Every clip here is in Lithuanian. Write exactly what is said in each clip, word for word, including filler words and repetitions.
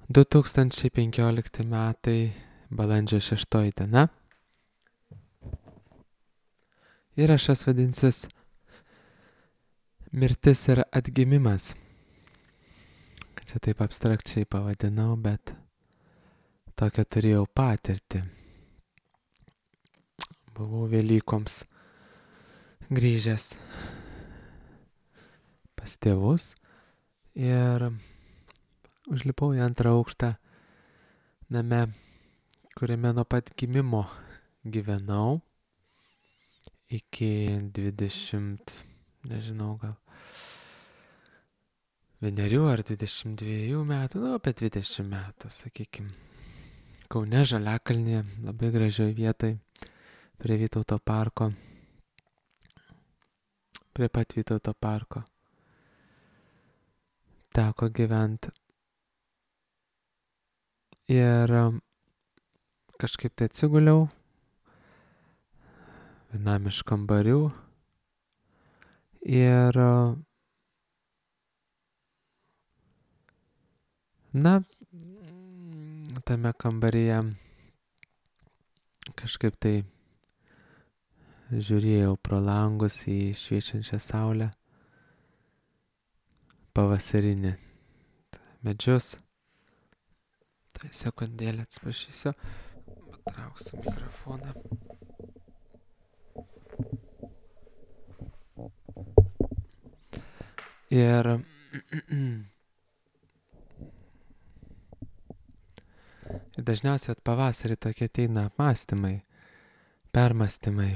du tūkstančiai penkiolikti metai, balandžio šeštoji diena. Įrašas vadinsis Mirtis ir atgimimas. Čia taip abstrakčiai pavadinau, bet tokią turėjau patirtį. Buvau Velykoms grįžęs pas tėvus ir užlipau į antrą aukštą name, kuriame nuo pat gimimo gyvenau iki dvidešimt, nežinau, gal vienerių ar dvidešimt dviejų metų, nu apie dvidešimt metų, sakykim. Kaune, Žaliakalnyje, labai gražioj vietoj, prie Vytauto parko, prie pat Vytauto parko. Teko gyventi. Ir kažkaip tai atsiguliau vienam iš kambarių ir na, tame kambaryje kažkaip tai žiūrėjau pro langus į šviečiančią saulę, pavasarinį medžius. Tai sekundėlę atsiprašysiu, patrauksiu mikrofoną. Ir ir dažniausiai at pavasarį tokie ateina apmąstymai, permąstymai.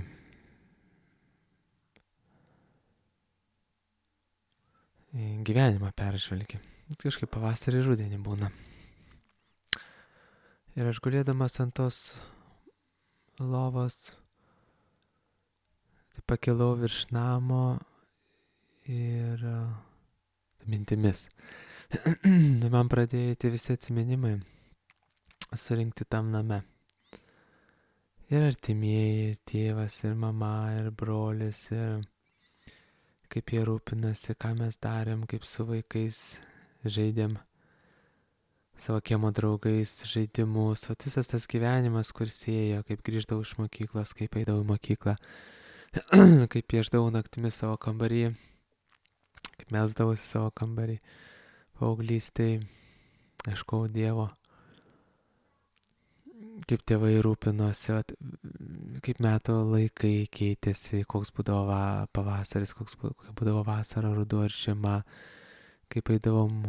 Gyvenimą peržvelgi. Kažkaip pavasarį rudenį būna. Ir aš gulėdamas ant tos lovos tai pakilau virš namo ir mintimis. Man pradėjo eiti visi atsiminimai surinkti tam name. Ir artimieji, ir tėvas, ir mama, ir brolis, ir kaip jie rūpinasi, ką mes darėm, kaip su vaikais žaidėm, savo kiemo draugais žaidimus, o visas tas gyvenimas, kur sėjo, kaip grįždavau iš mokyklos, kaip eidavau į mokyklą, kaip pieždavau naktimis savo kambarį, kaip melsdavausi savo kambarį, paauglystėj, ieškojau Dievo, kaip tėvai rūpinosi, vat, kaip metų laikai keitėsi, koks būdavo va, pavasaris, koks būdavo vasara, ruduo ir žiema, kaip eidavom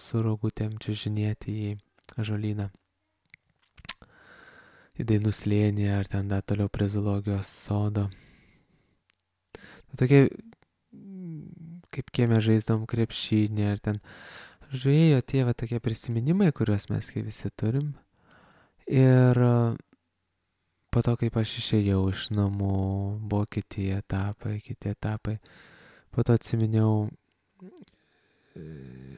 su rogutėm čiužinėti į ąžuolyną, į Dainų slėnį ar ten dar toliau prie zoologijos sodo. Tokie, kaip kieme žaisdavom krepšinį ar ten, žuėjo tie va tokie prisiminimai, kuriuos mes kai visi turim. Ir po to, kaip aš išėjau iš namų, buvo kiti etapai, kiti etapai. Po to atsiminiau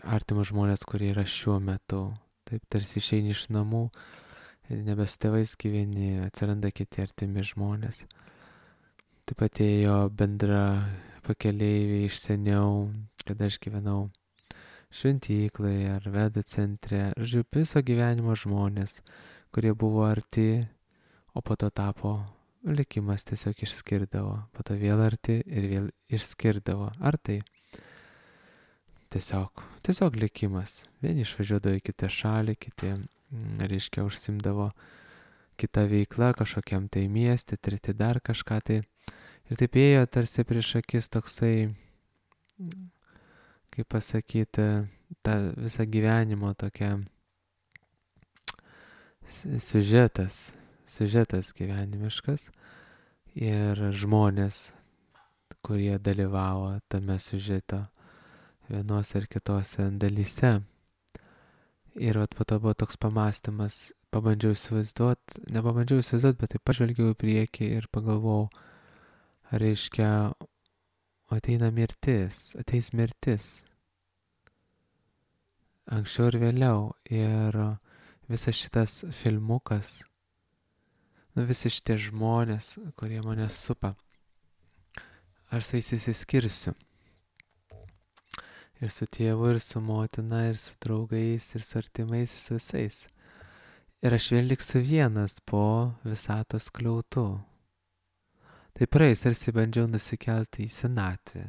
artimus žmonės, kurie yra šiuo metu. Taip tarsi išeini iš namų, nebe su tėvais gyveni, atsiranda kiti artimi žmonės. Taip pat ėjo bendra pakeleiviai iš seniau, kada aš gyvenau šventyklai ar vedų centre. Žodžiu, viso gyvenimo žmonės, kurie buvo arti, o po to tapo, likimas tiesiog išskirdavo. Po to vėl arti ir vėl išskirdavo. Ar tai? Tiesiog, tiesiog likimas. Vieni išvažiuodavo į kitą šalį, kiti, reiškia, užsimdavo kitą veiklą kažkokiam tai miestė, treti dar kažką tai. Ir taip ėjo tarsi prieš akis toksai, kaip pasakyti, ta visą gyvenimo tokia siužetas, siužetas gyvenimiškas ir žmonės, kurie dalyvavo tame siužeto vienose ar kitose dalyse. Ir vat po to buvo toks pamąstymas, pabandžiau įsivaizduot, nepabandžiau įsivaizduot, bet taip pažvelgiau į priekį ir pagalvojau, reiškia, ateina mirtis, ateis mirtis. Anksčiau ir vėliau. Ir visas šitas filmukas, nu visi šitie žmonės, kurie mane supa, aš su jais išsiskirsiu. Ir su tėvu, ir su motina, ir su draugais, ir su artimais, ir su visais. Ir aš vėl liksiu vienas po visatos skliautų. Tai praeis, tarsi bandžiau nusikelti į senatvę.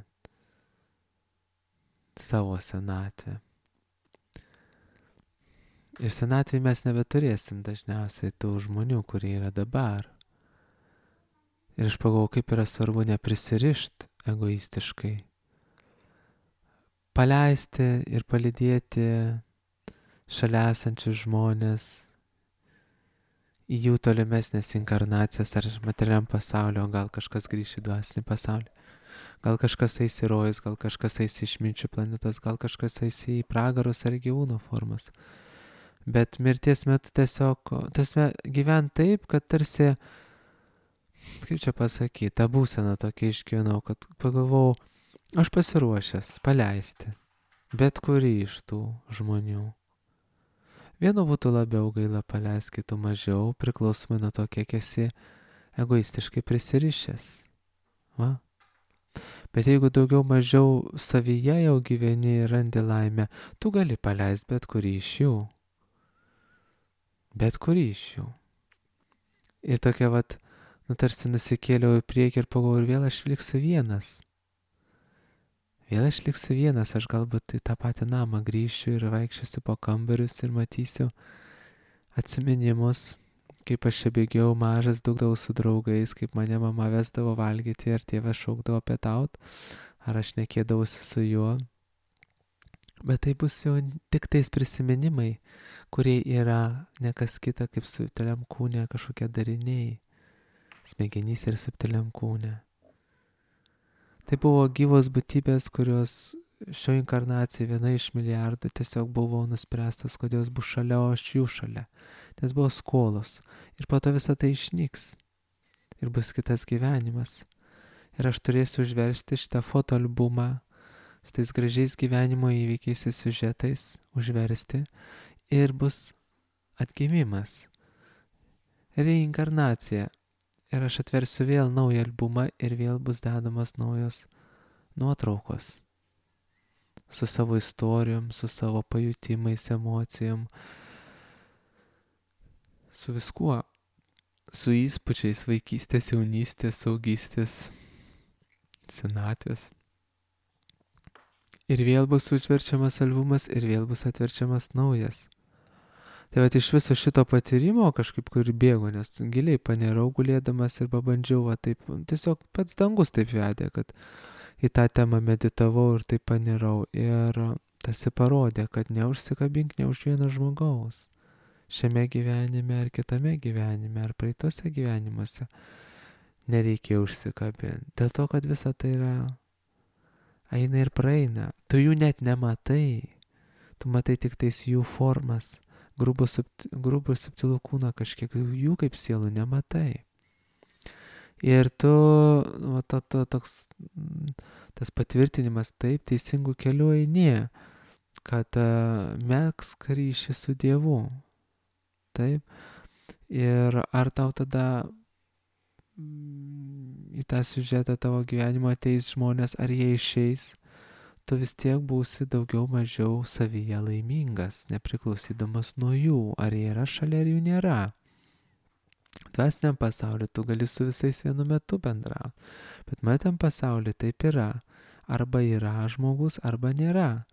Savo senatvę. Ir senatvėje mes nebeturėsim dažniausiai tų žmonių, kurie yra dabar. Ir aš pagalvojau, kaip yra svarbu neprisirišti egoistiškai. Paleisti ir palydėti šalia esančius žmonės į jų tolimesnės inkarnacijas ar materialiam pasaulio, gal kažkas grįš į dvasinį pasaulį, gal kažkas eis į rojus, gal kažkas eis į išminčių planetas, gal kažkas eis į pragarus ar gyvūno formas. Bet mirties metu tiesiog tasme, gyvent taip, kad tarsi, kaip čia pasakyti, tą būseną tokia išgyvenau, kad pagalvojau, aš pasiruošęs paleisti bet kurį iš tų žmonių. Vienu būtų labiau gaila paleisti, kitų mažiau, priklausomai nuo to, kiek esi egoistiškai prisirišęs. Va? Bet jeigu daugiau mažiau savyje jau gyveni ir randi laimę, tu gali paleisti bet kurį iš jų. Bet kurį iš jų. Ir tokia vat, nu tarsi nusikėliau į priekį ir pagalvojau, ir vėl aš liksiu vienas. Vėl aš liksiu vienas, aš galbūt į tą patį namą grįšiu ir vaikščiosiu po kambarius ir matysiu atsiminimus, kaip aš čia bėgiau mažas, dūkdavau su draugais, kaip mane mama vesdavo valgyti ir tėvas šaukdavo pietaut, ar aš nekėdavausi su juo. Bet tai bus jau tik tais prisiminimai, kurie yra ne kas kita kaip subtiliam kūne kažkokie dariniai, smegenys ir subtiliam kūne. Tai buvo gyvos būtybės, kurios šio inkarnacijų viena iš milijardų tiesiog buvo nuspręstas, kad jos bus šalia, o aš jų šalia. Nes buvo skolos. Ir po to visą tai išnyks. Ir bus kitas gyvenimas. Ir aš turėsiu užversti šitą fotoalbumą su tais gražiais gyvenimo įvykiais ir siužetais, užversti. Ir bus atgimimas. Reinkarnacija. Ir aš atversiu vėl naują albumą ir vėl bus dedamas naujos nuotraukos. Su savo istorijom, su savo pajutimais, emocijom. Su viskuo. Su įspūdžiais vaikystės, jaunystės, saugystės, senatvės. Ir vėl bus užverčiamas albumas ir vėl bus atverčiamas naujas. Tai vat iš viso šito patyrimo kažkaip kur bėgo, nes giliai panirau gulėdamas ir pabandžiau, va taip, tiesiog pats dangus taip vedė, kad į tą temą meditavau ir taip panirau. Ir tas parodė, kad neužsikabink ne už vieno žmogaus. Šiame gyvenime ar kitame gyvenime ar praeitose gyvenimuose nereikia užsikabinti. Dėl to, kad visa tai yra eina ir praeina. Tu jų net nematai. Tu matai tik tais jų formas. Grubų ir subtilų kūną kažkiek jų kaip sielų nematai. Ir tu, va, to, to, toks, tas patvirtinimas taip teisingų kelių eini, kad uh, megzk ryšį su Dievu. Taip. Ir ar tau tada mm, į tą siužetą tavo gyvenimo ateis žmonės, ar jie išeis, tu vis tiek būsi daugiau mažiau savyje laimingas, nepriklausydamas nuo jų, ar jie yra šalia, ar jų nėra. Dvasiniam pasauliu tu gali su visais vienu metu bendrauti, bet matėm pasauliu taip yra. Arba yra žmogus, arba nėra.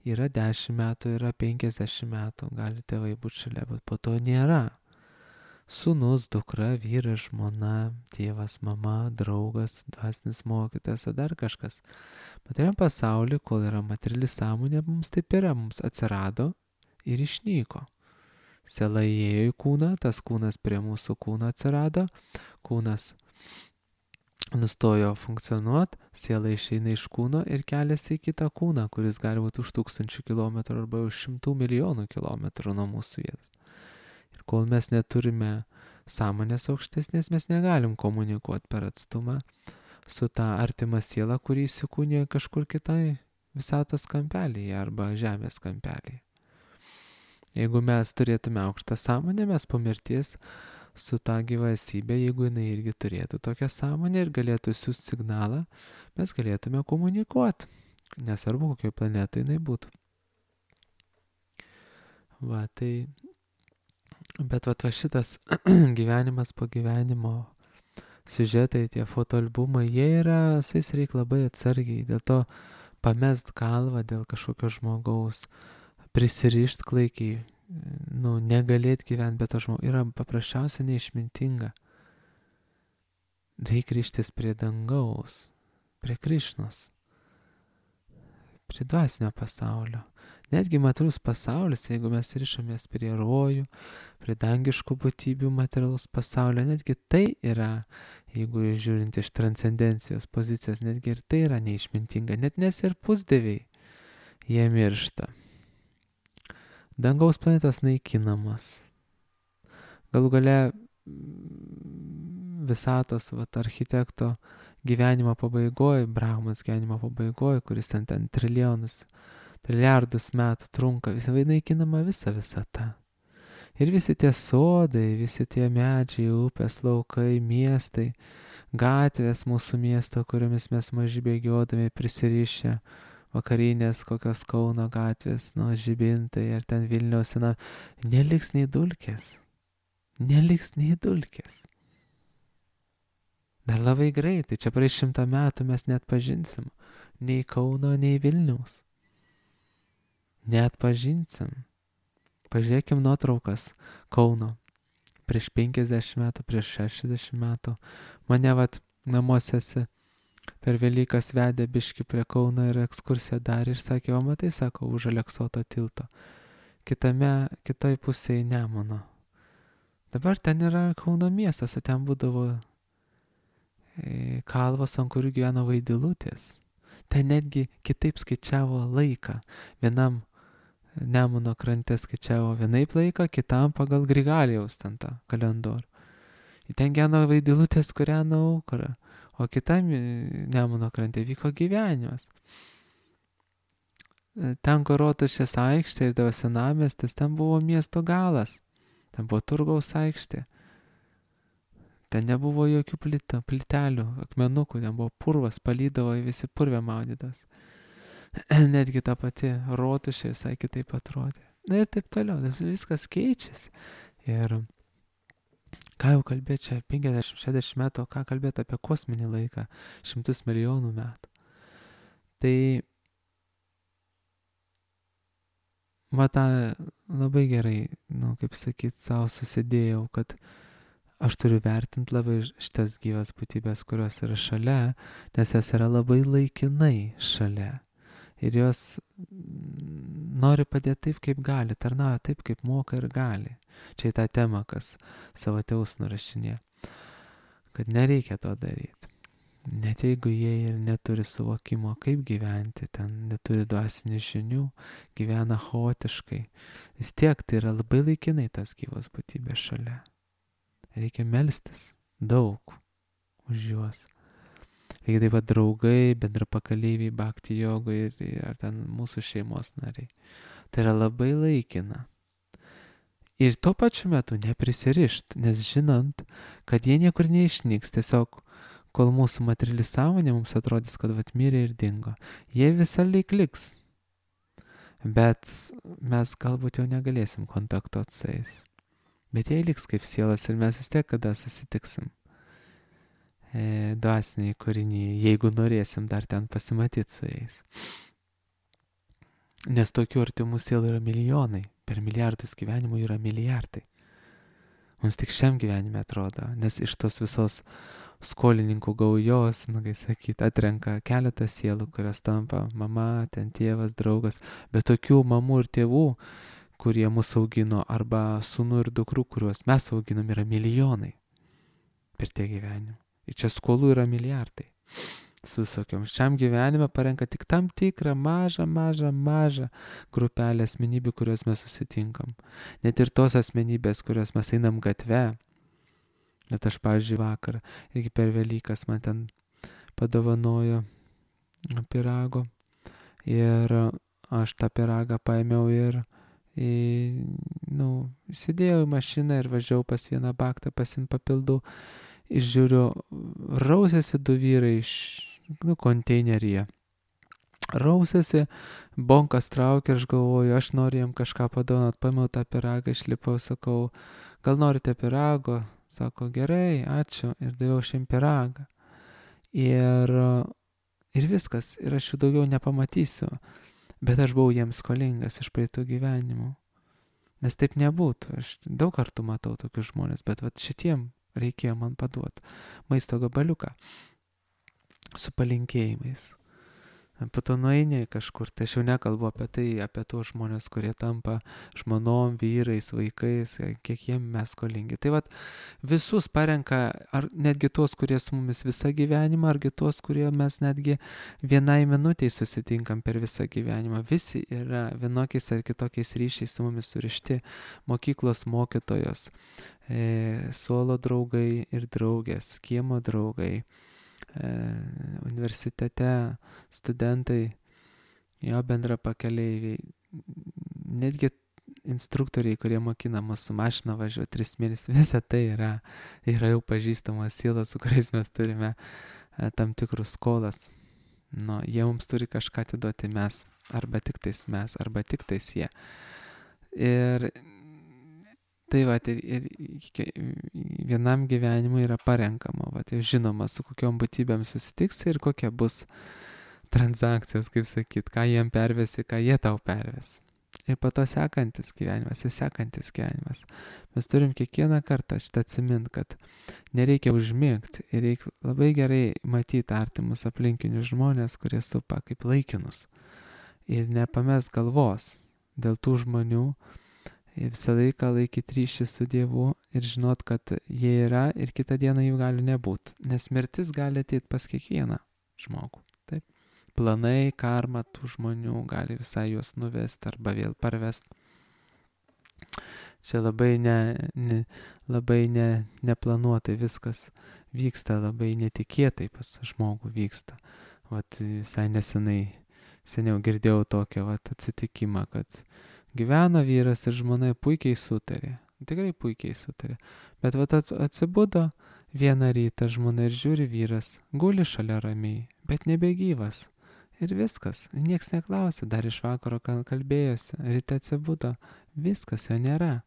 Yra dešimt metų, yra penkiasdešimt metų, gali tėvai būti šalia, bet po to nėra. Sūnus, dukra, vyras, žmona, tėvas, mama, draugas, dvasinis mokytojas, dar kažkas. Materialiam pasauliu, kol yra materiali sąmonė, mums taip yra, mums atsirado ir išnyko. Siela įėjo į kūną, tas kūnas prie mūsų kūno atsirado, kūnas nustojo funkcionuoti, siela išeina iš kūno ir keliasi į kitą kūną, kuris gali būti už tūkstančių kilometrų arba už šimtų milijonų kilometrų nuo mūsų vietos. Ir kol mes neturime sąmonės aukštesnės, mes negalim komunikuoti per atstumą su ta artima siela, kuri įsikūnija kažkur kitai visatos kampelyje arba žemės kampelyje. Jeigu mes turėtume aukštą sąmonę, mes po mirties su ta gyva esybė, jeigu jinai irgi turėtų tokią sąmonę ir galėtų siųsti signalą, mes galėtume komunikuoti. Nesvarbu, kokioje planetoje jinai būtų. Va, tai, bet va, va šitas gyvenimas po gyvenimo, siužetai, tie fotoalbumai, jie yra, su jais reikia labai atsargiai, dėl to pamest galvą dėl kažkokio žmogaus, prisirišt klaikiai, nu, negalėt gyventi be to žmogaus, yra paprasčiausiai neišmintinga. Reikia ryštis prie dangaus, prie Krišnos, prie dvasinio pasaulio. Netgi materialus pasaulis, jeigu mes rišamės prie rojų, prie dangiškų būtybių materialus pasaulio, netgi tai yra, jeigu žiūrint iš transcendencijos pozicijos, netgi ir tai yra neišmintinga, net nes ir pusdieviai, jie miršta. Dangaus planetos naikinamos. Galų gale visatos vat, architekto gyvenimo pabaigoje, Brahmos gyvenimo pabaigoje, kuris ten, ten trilijonus, trilijardus metų trunka, visai naikinama visa visata. Ir visi tie sodai, visi tie medžiai, upės, laukai, miestai, gatvės mūsų miesto, kuriomis mes maži bėgiodami prisirišę, vakarinės kokios Kauno gatvės, nuo Žibintai ar ten Vilniaus, na, neliks nei dulkės. Neliks nei dulkės. Dar labai greitai, čia praeis šimtą metų mes net pažinsim nei Kauno, nei Vilniaus. Net pažinsim. Pažiūrėkim nuotraukas Kauno. Prieš penkiasdešimt metų, prieš šešiasdešimt metų. Mane vat namuose per Velykas vedė biški prie Kauno ir ekskursiją darė ir sakė, o matai, sako, už Aleksoto tilto. Kitame, kitoj pusėje Nemuno. Dabar ten yra Kauno miestas, o ten būdavo e, kalvos, ant kurių gyveno vaidilutės. Ten netgi kitaip skaičiavo laiką. Vienam Nemuno krante skaičiavo vienaip laiką, kitam pagal Grigaliaus ten tą kalendorių. Ten gyveno vaidilutės, kūreno aukurą, o kitam Nemuno krante vyko gyvenimas. Ten, kur Rotušės aikštė ir davo senamiestis, ten buvo miesto galas. Ten buvo Turgaus aikštė. Ten nebuvo jokių plita, plitelių, akmenukų, ten buvo purvas, palydavo į visi purvę maudydavos. Netgi ta pati Rotušė visai kitaip atrodė. Na ir taip toliau, viskas keičiasi. Ir ką jau kalbėti čia, penkiasdešimt šešiasdešimt metų, ką kalbėti apie kosminį laiką, šimtus milijonų metų. Tai va tą labai gerai, nu, kaip sakyt, savo susidėjau, kad aš turiu vertinti labai šitas gyvas būtybės, kurios yra šalia, nes jas yra labai laikinai šalia. Ir jos nori padėti taip, kaip gali, tarnauja taip, kaip moka ir gali. Čia į tą temą, kas savo tėvus nurašinė. Kad nereikia to daryti. Net jeigu jie ir neturi suvokimo, kaip gyventi, ten neturi dvasinių žinių, gyvena chaotiškai. Vis tiek tai yra labai laikinai tas gyvas būtybės šalia. Reikia melstis daug už juos. Reikia taip pat draugai, bendrapakaleiviai, bhakti jogai ir, ir ar ten mūsų šeimos nariai. Tai yra labai laikina. Ir tuo pačiu metu neprisirišt, nes žinant, kad jie niekur neišnyks, tiesiog kol mūsų materiali sąmonė mums atrodys, kad vat mirė ir dingo. Jie visą laik liks. Bet mes galbūt jau negalėsim kontaktuoti su jais. Bet jie liks kaip sielas ir mes vis tiek kada susitiksim. E, dvasiniai kūriniai, jeigu norėsim dar ten pasimatyti su jais. Nes tokių artimų sielų yra milijonai. Per milijardus gyvenimų yra milijardai. Mums tik šiam gyvenime atrodo, nes iš tos visos skolininkų gaujos, nu, kai sakyt, atrenka keletą sielų, kurios tampa mama, ten tėvas, draugas, bet tokių mamų ir tėvų, kurie mus augino, arba sūnų ir dukrų, kuriuos mes auginam, yra milijonai per tie gyvenimą. Ir čia skolų yra milijardai. Su visokiom. Šiam gyvenime parenka tik tam tikrą mažą, mažą, mažą grupelę asmenybių, kurios mes susitinkam. Net ir tos asmenybės, kurios mes einam gatve. Net aš, pavyzdžiui, vakar, irgi per Velykas man ten padovanojo pyrago. Ir aš tą pyragą paėmiau ir, į, nu, įsidėjau į mašiną ir važiavau pas vieną baktą pasiimt papildų. Ir žiūriu, rausėsi du vyrai iš, nu, konteineryje. rausėsi, bonkas traukia, aš galvoju, aš noriu jam kažką padovanot, paėmiau tą pyragą, išlipau, sakau, gal norite pyrago? Sako, gerai, ačiū, ir daviau šiam pyragą. Ir, ir viskas, ir aš jų daugiau nepamatysiu, bet aš buvau jiems skolingas iš praeitų gyvenimų. Nes taip nebūtų, aš daug kartų matau tokius žmonės, bet vat šitiem reikėjo man paduoti maisto gabaliuką su palinkėjimais. Po to nueini kažkur, tai aš jau nekalbu apie tai, apie tuos žmonės, kurie tampa žmonom, vyrais, vaikais, kiek jiem mes skolingi. Tai vat visus parenka, ar netgi tuos, kurie su mumis visą gyvenimą, argi tuos, kurie mes netgi vienai minutiai susitinkam per visą gyvenimą. Visi yra vienokiais ar kitokiais ryšiais su mumis surišti. Mokyklos mokytojos, e, suolo draugai ir draugės, kiemo draugai. Universitete studentai, jo bendra pakeleiviai, netgi instruktoriai, kurie mokina mus su mašina važiuoti tris mėnesius, visa tai yra, yra jau pažįstamos sielos, su kuriais mes turime tam tikrus skolas. Nu, jie mums turi kažką atiduoti mes, arba tik tais mes, arba tik tais jie. Ir tai va, ir, ir vienam gyvenimui yra parenkama, va, tai žinoma, su kokiom būtybėm susitiks ir kokia bus transakcijos, kaip sakyt, ką jiem pervesi, ką jie tau perves. Ir po to sekantis gyvenimas, ir sekantis gyvenimas. Mes turim kiekvieną kartą šitą atsimint, kad nereikia užmigti ir reikia labai gerai matyti artimus aplinkinius žmonės, kurie supa kaip laikinus. Ir nepames galvos dėl tų žmonių, visą laiką laikyti ryšį su Dievu ir žinot, kad jie yra ir kitą dieną jų gali nebūti. Nes mirtis gali ateiti pas kiekvieną žmogų. Taip. Planai, karma tų žmonių gali visai juos nuvesti arba vėl parvesti. Čia labai, ne, ne, labai ne, neplanuotai viskas vyksta, labai netikėtai pas žmogų vyksta. Vat visai nesenai, seniau girdėjau tokią vat atsitikimą, kad gyveno vyras ir žmona puikiai sutarė. Tikrai puikiai sutarė. Bet vat atsibudo vieną rytą žmona ir žiūri vyras, guli šalia ramiai, bet nebegyvas. Ir viskas. Niekas neklausė, dar iš vakaro kalbėjosi. Ryte atsibudo. Viskas, jo nėra.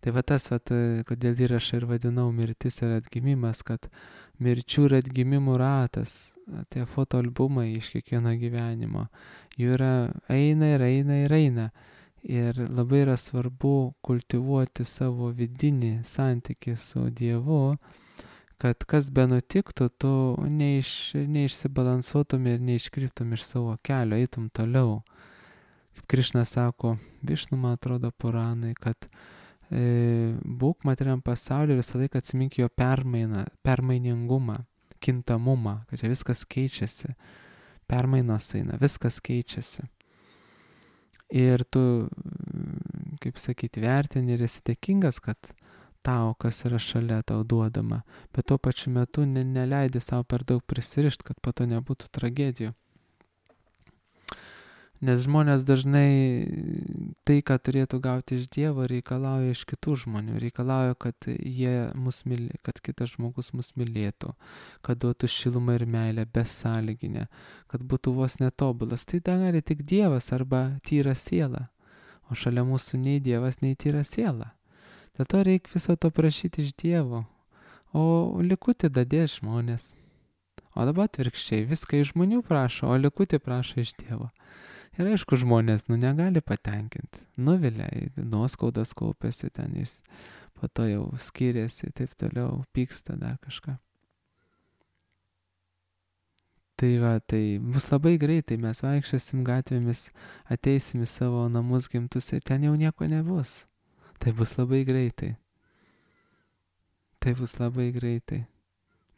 Tai va tas, vat, kodėl įrašą ir vadinau mirtis ir atgimimas, kad mirčių ir atgimimų ratas, tie fotoalbumai iš kiekvieno gyvenimo, jų yra eina ir eina ir eina. Ir labai yra svarbu kultivuoti savo vidinį santykį su Dievu, kad kas be nutiktų, tu neiš, neišsibalansuotum ir neiškryptum iš savo kelio, eitum toliau. Kaip Krišna sako, Višnu, man atrodo, Puranai, kad būk materiam pasauliu ir visą laiką atsimink jo permainą, permainingumą, kintamumą, kad čia viskas keičiasi, permainos eina, viskas keičiasi. Ir tu, kaip sakyti, vertini ir esi dėkingas, kad tau, kas yra šalia, tau duodama, bet tuo pačiu metu ne, neleidi savo per daug prisirišti, kad po to nebūtų tragedijų. Nes žmonės dažnai tai, ką turėtų gauti iš Dievo, reikalauja iš kitų žmonių. Reikalauja, kad jie mus mylė, kad kitas žmogus mus mylėtų, kad duotų šilumą ir meilę besąlyginę, kad būtų vos netobulas. Tai gali tik Dievas arba tyra siela. O šalia mūsų nei Dievas, nei tyra siela. Dėl to reikia viso to prašyti iš Dievo. O likutį dadės žmonės. O dabar atvirkščiai, viską iš žmonių prašo, o likutį prašo iš Dievo. Ir aišku, žmonės, nu, negali patenkinti. Nuvilia, nuoskaudas kaupėsi ten, jis po to jau skiriasi, taip toliau, pyksta dar kažką. Tai va, tai bus labai greitai, mes vaikščiosim gatvėmis, ateisim į savo namus gimtus ir ten jau nieko nebus. Tai bus labai greitai. Tai bus labai greitai.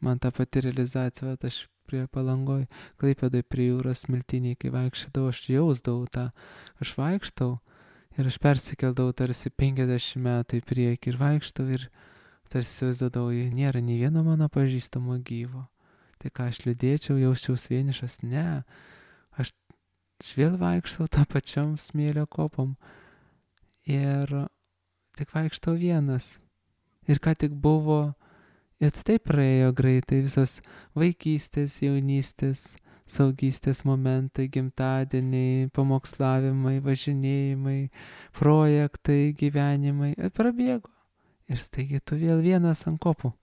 Man ta pati realizacija, va, aš prie Palangoj, Klaipėdoj prie jūros smiltiniai, kai vaikščiodavau, aš jausdavau tą, aš vaikštau ir aš persikeldavau tarsi penkiasdešimt metų į priekį ir vaikštau ir tarsi jausdavau, nėra nei vieno mano pažįstamo gyvo. Tai ką aš liūdėčiau, jausčiaus vienišas, ne, aš vėl vaikštau tą pačiom smėlio kopom ir tik vaikštau vienas. Ir ką tik buvo, ir taip praėjo greitai visas vaikystės, jaunystės, saugystės momentai, gimtadieniai, pamokslavimai, važinėjimai, projektai, gyvenimai. Ir prabėgo. Ir staigiai tu vėl vienas ant kopų.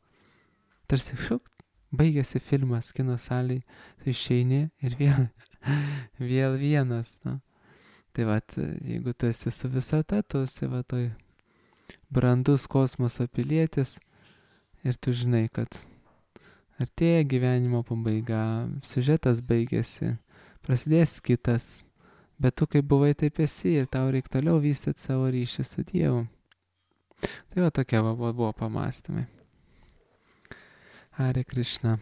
Tarsi šukt, baigėsi filmas kino salėje, tu išeini ir vėl, vėl vienas. Nu. Tai vat, jeigu tu esi su visata, tu esi va toj brandus kosmoso pilietis ir tu žinai, kad artėja gyvenimo pabaiga, siužetas baigėsi, prasidės kitas, bet tu kaip buvai, taip esi ir tau reikia toliau vystyti savo ryšį su Dievu. Tai va tokie va, buvo pamąstymai. Hare Krishna.